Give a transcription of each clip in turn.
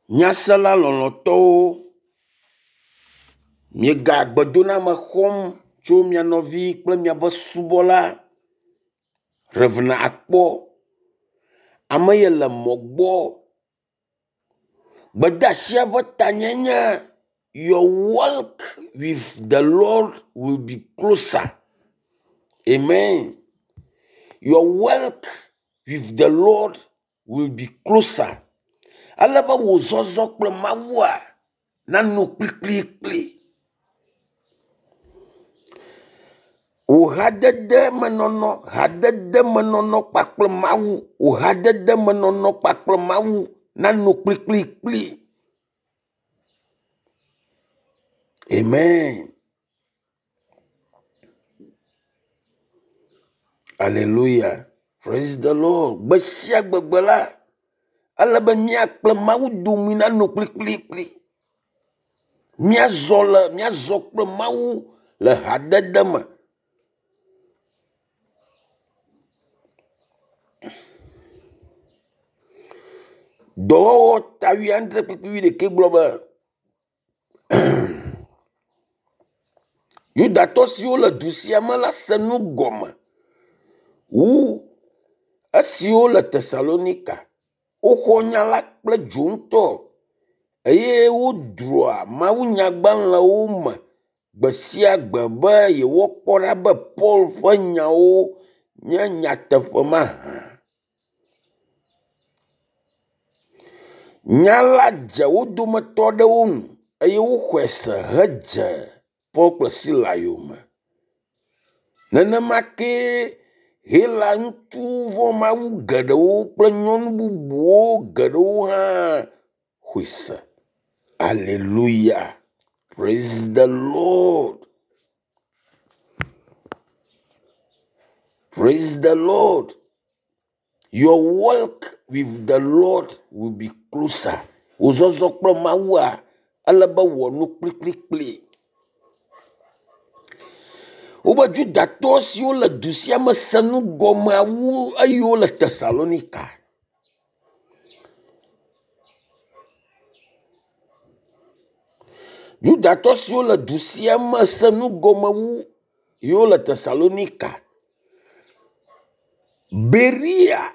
Nyasela lɔlɔ̃tɔwo, miega gbedoname xɔm tso mia nɔvi kple miaƒe subɔla Rev. Akpɔ. Ame ye le mɔ gbɔ. Gbedeasia ƒe tanyae nye your walk with the Lord will be closer. Amen. Your walk with the Lord will be closer. Ale be wò zɔzɔ kple Mawua nano kplikplikpli. Wò hadedemenɔnɔ, hadedemenɔnɔ kpakple Mawu, wò hadedemenɔnɔ kpakple Mawu nano kplikplikpli. Amen. Aleluya. Praise the Lord. Gbe sia gbegbe la, ele be mía kple Mawu dome nanɔ kplikplikpli. Míazɔ le míazɔ kple Mawu le hadede me. Dɔwɔwɔ ta wuiadre kpukpui wuiɖekɛ gblɔ be Yudatɔ siwo le du sia me la se nu gɔme wu esiwo le Tesalonika. Woxɔ nya la kple dzo ŋutɔ eye wodroa mawunyagbalẽwo me gbe sia gbe be yewoakpɔ ɖa be Paul ƒe nyawo nye nyateƒe mahã. Nya la dze wo dometɔ aɖewo ŋu eye woxɔe se hedze Paul kple Sila yome. Nenema kee Hela ŋutsu vɔ̃mawu geɖewo kple nyɔnu bubuwo geɖewo hã xɔe se. Aleluya. Praise the Lord. Praise the Lord. Your walk with the Lord will be closer. Wò zɔzɔ kple Mawua, ele be wɔ nu kplikplikpli. Wobe Judatɔ siwo le du sia me se nu gɔmea wu eyiwo le Tesalonika. Yudatɔ siwo le du sia me se nu gɔme wu yiwo le Tesalonika. Beria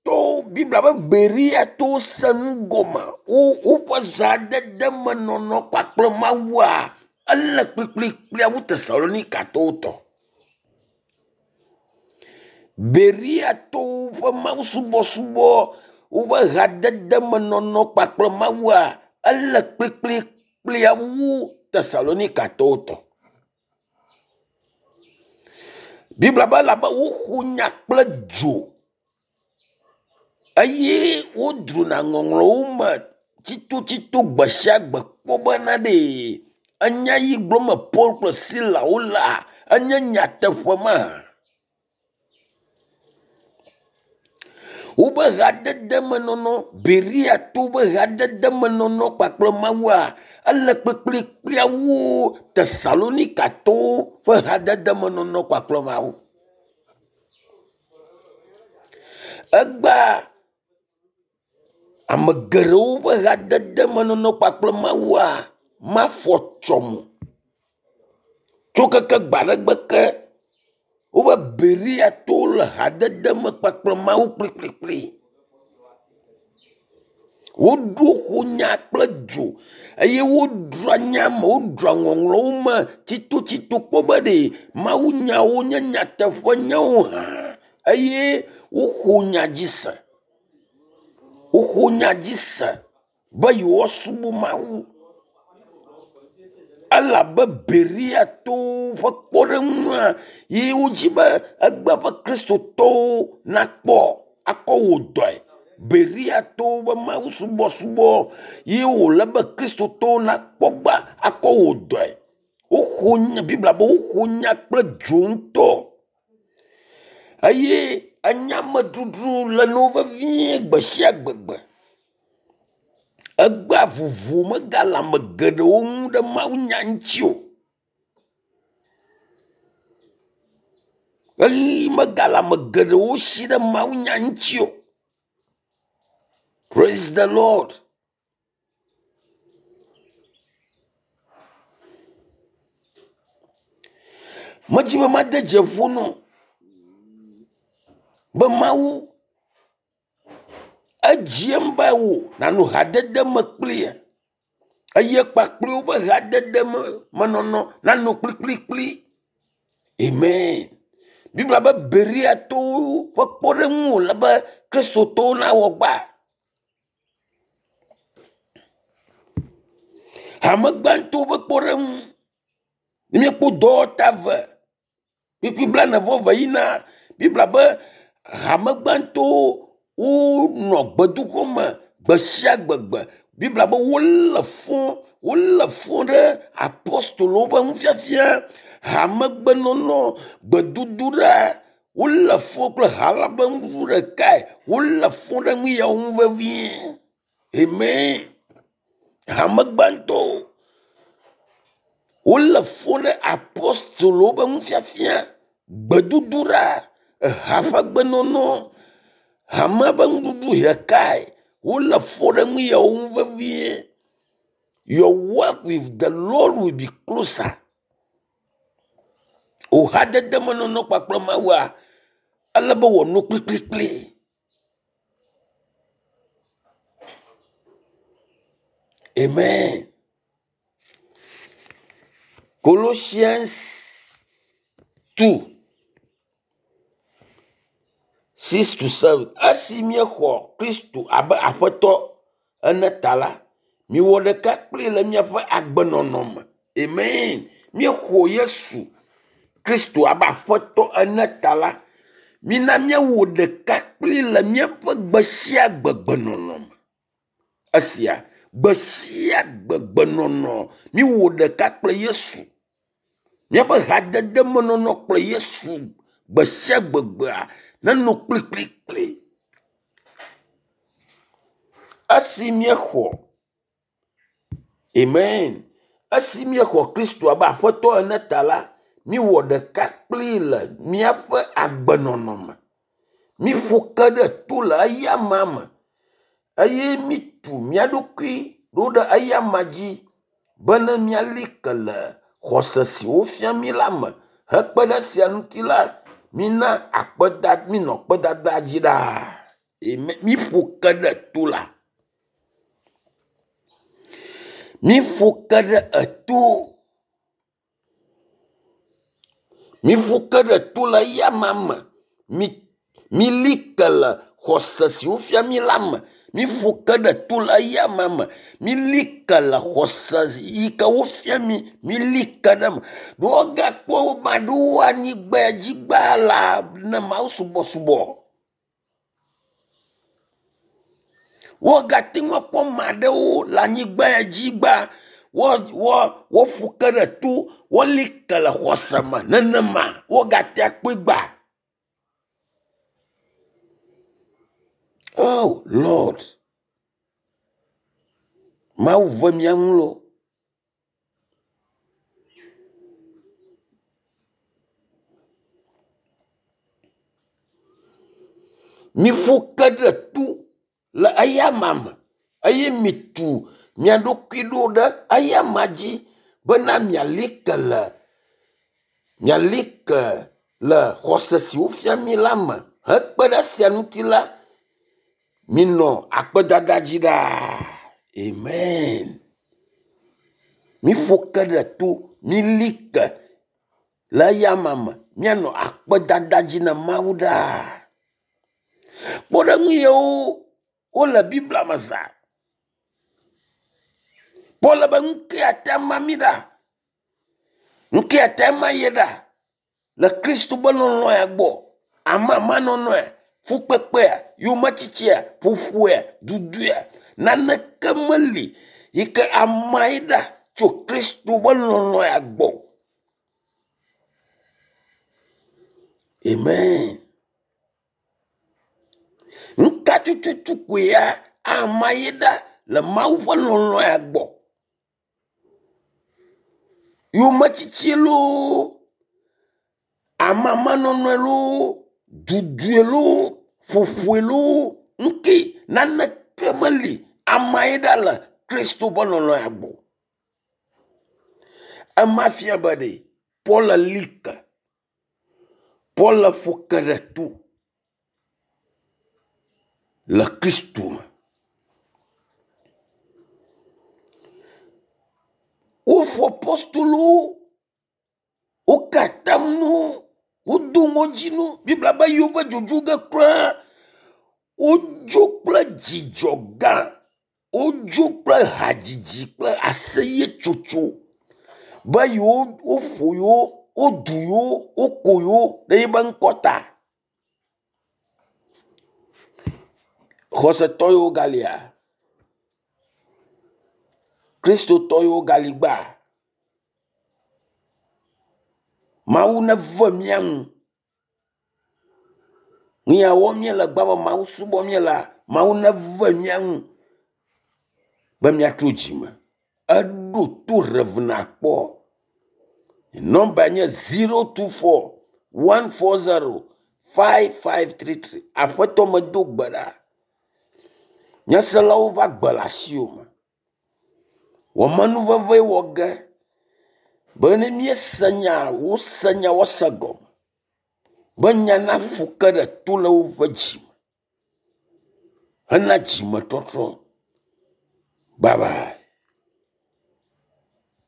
tɔwo Biblia be Beriatɔwo se nu gɔme. Wo woƒe zãdedemenɔnɔ kpakple Mawua ele kplikplikplia wu Tesalonikatɔwo tɔ. Beriatɔwo ƒe mawusubɔsubɔ, woƒe hadedemenɔnɔ kpakple Mawua ele kplikplikplia wu Tesalonikatɔwo tɔ. Biblia be elabe woxo nya kple dzo eye wodrona ŋɔŋlɔwo me tsitotsito gbe sia gbe kpɔ bena ɖe enya yi gblɔm Paul kple Sila wolea enye nyateƒe ma. Wobe hadedemenɔnɔ, Beriatɔwo ƒe hadedemenɔnɔ kpakple Mawua ele kplikplikplia wu Tesalonikatɔwo ƒe hadedemenɔnɔ kpakple Mawu. Egbea ame geɖewo ƒe hadedemenɔnɔ kpakple Mawua mafɔ tsɔm o. Tso keke gbe aɖe gbe ke wobe Beriatɔwo le hadede me kpakple Mawu kplikplikpli. Woɖo ƒonya kple dzo eye wodroa nya me, wodroa ŋɔŋlɔwo me tsitotsito kpɔ be ɖe mawunyawo nye nyateƒe nyawo hã eye woxɔ nya dzi se. Woxɔ nya dzi se be yewoasubɔ Mawu. Elabe Beriatɔwo ƒe kpɔɖeŋua ye wodzi be egbe ƒe kristotɔwo nakpɔ akɔ wò dɔe. Beriatɔwo ƒe mawusubɔsubɔ ye wòle be kristotɔwo nakpɔ gba akɔ wò dɔe. Woxɔ nya Biblia be woxɔ nya kple dzo ŋutɔ eye enyameɖuɖu le no vevie gbe sia gbegbe. Egbea vovo megale ame geɖewo ŋu ɖe mawunya ŋuti o. Ɣeyiɣi megale ame geɖewo si ɖe mawunya ŋuti o. Praise the Lord. Medzi be made dze ƒo nɔ be Mawu edziem be wò nànɔ hadede me kpli ye eye kpakple woƒe hadede me menɔnɔ nanɔ kplikplikpli. Amen. Biblia be Bereatɔwo ƒe kpɔɖeŋu wòle be Kristotɔwo nawɔ gbã. Hame gbãtɔwo ƒe kpɔɖeŋu. Ne míekpɔ dɔwɔta eve kpukpui blaene-vɔ-eve yina Biblia be hame gbãtɔwo wonɔ gbedoxɔ me gbe sia gbegbe. Biblia be wolé fɔ wolé fɔ ɖe apostolowo ƒe nufiafia, hamegbenɔnɔ, gbedodoɖa, wolé fɔ kple ha la ƒe nuɖuɖu ɖekae. Wolé fɔ ɖe nu yawo ŋu vevie. Amen. Hame gbãtɔwo wolé fɔ ɖe apostolowo ƒe nufiafia, gbedodoɖa, eha ƒe gbenɔnɔ, hame ƒe nuɖuɖu ɖekae. Wolé fɔ ɖe nu yawo ŋu vevie. Your work with the Lord will be closer. Wò hadede menɔnɔ kpakple Mawua, ele be wòanɔ kplikplikpli. Amen. Colossians 2 6 to 7. Esi míexɔ Kristo abe Aƒetɔ ene ta la, miwɔ ɖeka kpli le míaƒe agbenɔnɔ me. Amen. Míexɔ Yesu Kristo abe Aƒetɔ ene ta la, mina míawɔ ɖeka kpli le míaƒe gbe sia gbe gbenɔnɔ me. Esia gbe sia gbe gbenɔnɔ míwɔ ɖeka kple Yesu. Míaƒe hadede menɔnɔ kple Yesu gbe sia gbegbea nenɔ kplikplikpli. Esi míexɔ Amen. Esi míexɔ Kristo abe Aƒetɔ ene ta la, míwɔ ɖeka kpli le míaƒe agbenɔnɔ me. Míƒo ke ɖe to le eyama me eye mítu mía ɖokui ɖo ɖe eyama dzi bene míali ke le xɔse si wofia mí la me. Hekpe ɖe esia ŋuti la, mina akpeda minɔ akpedada dzi ɖaa. Amen. Míƒo ke ɖe to la. Míƒo ke ɖe eto. Míƒo ke ɖe to le eyama me. Mi mili ke le xɔse si wofia mí la me. Míƒo ke ɖe to le eyama me. Mili ke le xɔse yi ke wofia mí. Mili ke ɖe eme. Ɖo wogakpɔ ame aɖewo anyigba dzi gbaa la ne Mawu subɔsubɔ. Wogate ŋu akpɔ ame aɖewo le anyigba dzi gbaa woƒo ke ɖe to, woli ke le xɔse me nenema wogate akpɔe gbã. Oh Lord, Mawu ve mía ŋu loo. Miƒo ke ɖe to le eyama me eye mitu mia ɖokui ɖo ɖe eyama dzi bena miali ke le miali ke le xɔse si wofia mí la me. Hekpe ɖe esia ŋuti la, minɔ akpedada dzi ɖaa. Amen. Miƒo ke ɖe to, mili ke le eyama me, míanɔ akpedada dzi na Mawu ɖaa. Kpɔɖeŋu yawo wole Biblia me zã. Paul be nu ke ate ama mí ɖa, nu ke ate ama ye ɖa le Kristo be lɔlɔ̃ ya gbɔ. Amamanɔnɔe, fukpekpea, yometsitsia, ƒoƒoea, duduea, naneke meli yi ke ama ye ɖa tso Kristo be lɔlɔ̃ ya gbɔ. Amen. Nu ka tututu koe ya ama ye ɖa le Mawu ƒe lɔlɔ̃ ya gbɔ? Yometsitsi loo, amamanɔnɔe loo, dudue loo, ƒoƒoe loo, nu ke naneke meli ama ye ɖa le Kristo ƒe lɔlɔ̃ ya gbɔ. Ema fia be ɖe Paul li ke. Paul ƒo ke ɖe to le Kristo me. Woƒo apostolowo, woka atam na wo, wodo ŋɔdzi na wo. Biblia be yewo dzodzo ge kura. Wodzo kple dzidzɔ gã. Wodzo kple hadzidzi kple aseyetsotso be yewo woƒo yewo, wodu yewo, woko yewo ɖe yiƒe ŋkɔ ta. Xɔsetɔ yiwo galia, Kristotɔ yiwo gali gbea, Mawu neve mía nu. Nu ya wɔm míele gbea be Mawu subɔm míelea, Mawu neve mía nu be míatrɔ dzime. Eɖo to Rev. Akpɔ. Nɔmba nye 024 140 5533. Aƒetɔ medo gbe ɖa. Nyaselawo ƒe agbe le asiwò me. Wɔ menuveve wɔ ge be ne míese nya, wose nya woase gɔme. Be nya naƒo ke ɖe to le woƒe dzi me hena dzimetɔtrɔ. Bye bye.